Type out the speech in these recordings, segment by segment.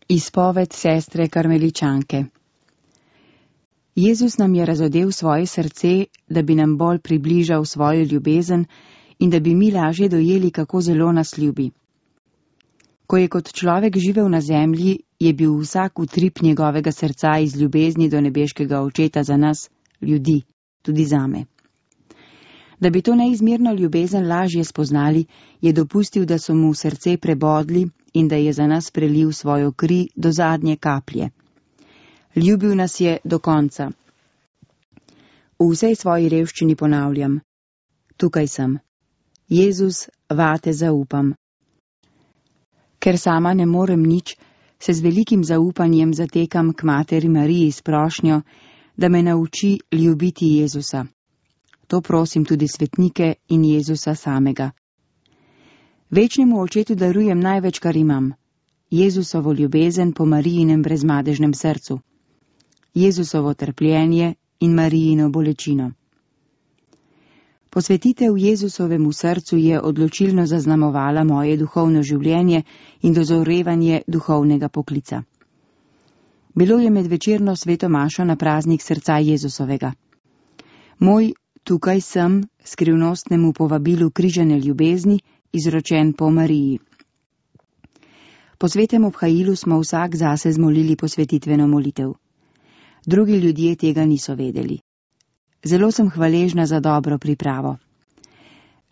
Izpoved sestre Karmeličanke. Jezus nam je razodel svoje srce, da bi nam bolj približal svojo ljubezen in da bi mi lažje dojeli, kako zelo nas ljubi. Ko je kot človek živel na zemlji, je bil vsak utrip njegovega srca iz ljubezni do nebeškega Očeta za nas, ljudi, tudi zame. Da bi to neizmerno ljubezen lažje spoznali, je dopustil, da so mu srce prebodli in da je za nas prelil svojo kri do zadnje kaplje. Ljubil nas je do konca. V vsej svoji revščini ponavljam: tukaj sem. Jezus, vate zaupam. Ker sama ne morem nič, se z velikim zaupanjem zatekam k materi Mariji s prošnjo, da me nauči ljubiti Jezusa. To prosim tudi svetnike in Jezusa samega. Večnemu Očetu darujem največ, kar imam. Jezusovo ljubezen po Marijinem brezmadežnem srcu. Jezusovo trpljenje in Marijino bolečino. Posvetitev Jezusovemu srcu je odločilno zaznamovala moje duhovno življenje in dozorevanje duhovnega poklica. Bilo je med večerno sveto mašo na praznik srca Jezusovega. Moj tukaj sem skrivnostnemu povabilu križane ljubezni, izročen po Mariji. Po svetem obhajilu smo vsak zase zmolili posvetitveno molitev. Drugi ljudje tega niso vedeli. Zelo sem hvaležna za dobro pripravo.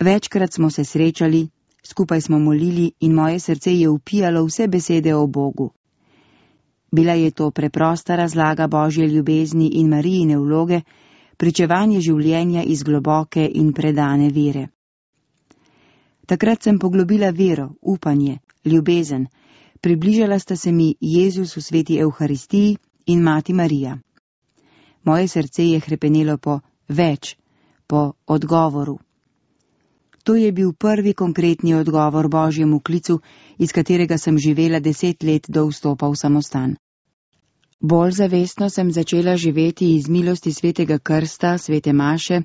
Večkrat smo se srečali, skupaj smo molili in moje srce je vpijalo vse besede o Bogu. Bila je to preprosta razlaga Božje ljubezni in Marijine vloge, pričevanje življenja iz globoke in predane vere. Takrat sem poglobila vero, upanje, ljubezen, približala sta se mi Jezus v sveti Evharistiji in Mati Marija. Moje srce je hrepenelo po več, po odgovoru. To je bil prvi konkretni odgovor Božjemu klicu, iz katerega sem živela 10 let do vstopa v samostan. Bolj zavestno sem začela živeti iz milosti svetega krsta, svete maše,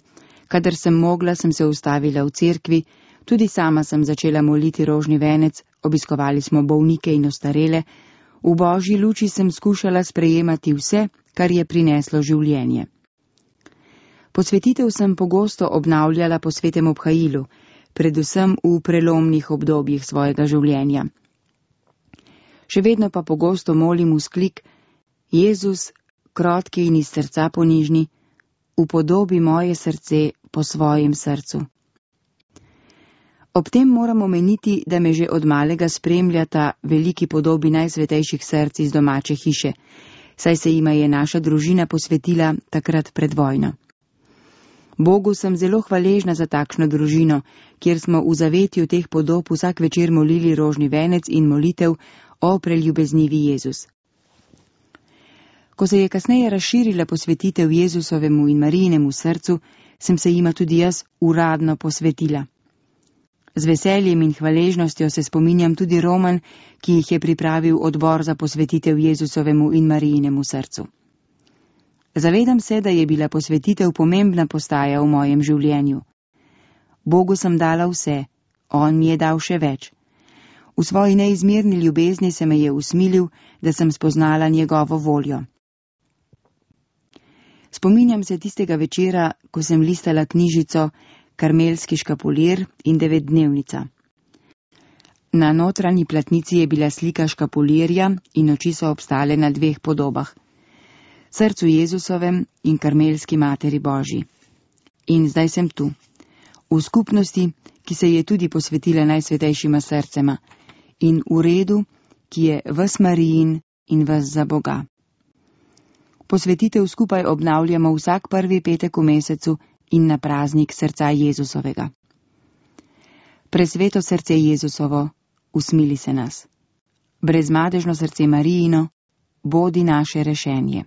kadar sem mogla, sem se ustavila v cerkvi, tudi sama sem začela moliti rožni venec, obiskovali smo bolnike in ostarele, v Božji luči sem skušala sprejemati vse, kar je prineslo življenje. Posvetitev sem pogosto obnavljala po svetem obhajilu, predvsem v prelomnih obdobjih svojega življenja. Še vedno pa pogosto molim vzklik: Jezus, krotki in iz srca ponižni, upodobi moje srce po svojem srcu. Ob tem moram omeniti, da me že od malega spremljata veliki podobi najsvetejših src iz domače hiše, saj se jima je naša družina posvetila takrat pred vojno. Bogu sem zelo hvaležna za takšno družino, kjer smo v zavetju teh podob vsak večer molili rožni venec in molitev o preljubeznivi Jezus. Ko se je kasneje razširila posvetitev Jezusovemu in Marijinemu srcu, sem se jima tudi jaz uradno posvetila. Z veseljem in hvaležnostjo se spominjam tudi romanj, ki jih je pripravil odbor za posvetitev Jezusovemu in Marijinemu srcu. Zavedam se, da je bila posvetitev pomembna postaja v mojem življenju. Bogu sem dala vse, on mi je dal še več. V svoji neizmerni ljubezni se me je usmilil, da sem spoznala njegovo voljo. Spominjam se tistega večera, ko sem listala knjižico Karmelski škapulir in 9-dnevnica. Na notranji platnici je bila slika škapulirja in oči so obstale na 2 podobah. Srcu Jezusovem in Karmelski materi Božji. In zdaj sem tu, v skupnosti, ki se je tudi posvetila najsvetejšima srcema, in v redu, ki je ves Marijin in ves za Boga. Posvetitev skupaj obnavljamo vsak prvi petek v mesecu in na praznik srca Jezusovega. Presveto srce Jezusovo, usmili se nas. Brezmadežno srce Marijino, bodi naše rešenje.